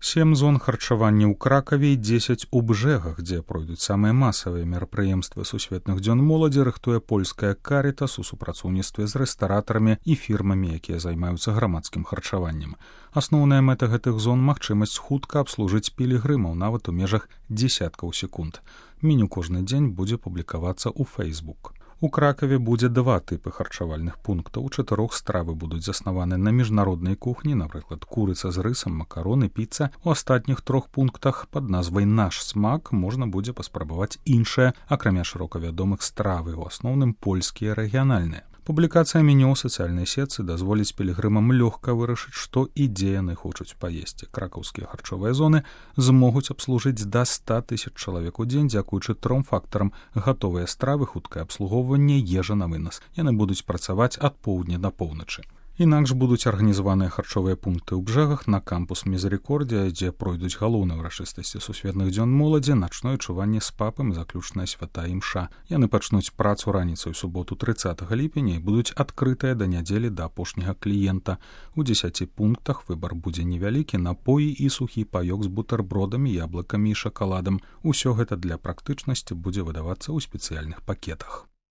7 зон харчавання ў Кракаве і 10 у Бжэгах, дзе пройдуць самыя масавыя мерапрыемствы сусветных дзён моладзі, рыхтуе польская Карітас у супрацоўніцтве з рэстаратарамі і фірмамі, якія займаюцца грамадскім харчаваннем. Асноўная мэта гэтых зон — магчымасць хутка абслужыць пілігрымаў нават у межах дзесяткаў секунд. Меню кожны дзень будзе публікавацца ў Facebook. У Кракаве будзе 2 тыпы харчавальных пунктаў. У 4 стравы будуць заснаваны на міжнароднай кухні, напрыклад, курыца з рысам, макароны, піца. У астатніх 3 пунктах пад назвай «Наш смак» можна будзе паспрабаваць іншыя, акрамя шырока вядомых стравы, у асноўным польскія рэгіянальныя. Публікацыя меню ў сацыяльнай сетцы дазволіць пілігрымам лёгка вырашыць, што і дзе яны хочуць паесці. Кракаўскія харчовыя зоны змогуць абслужыць да 100 000 чалавек у дзень дзякуючы 3 фактарам: гатовыя стравы, хуткае абслугоўванне, ежа на вынас. Яны будуць працаваць ад поўдня да поўначы. Інакш будуць арганізаваныя харчовыя пункты ў Бжэгах, на кампус Мізерікордія, дзе пройдуць галоўныя ўрачыстасці сусветных дзён моладзі, начное чуванне з папам, заключная свята імша. Яны пачнуць працу раніцай у суботу 30 ліпеня і будуць адкрытыя да нядзелі да апошняга кліента. У 10 пунктах выбар будзе невялікі: напоі і сухі паёк з бутэрбродамі, яблыкамі і шакаладам. Усё гэта для практычнасці будзе выдавацца ў спецыяльных пакетах.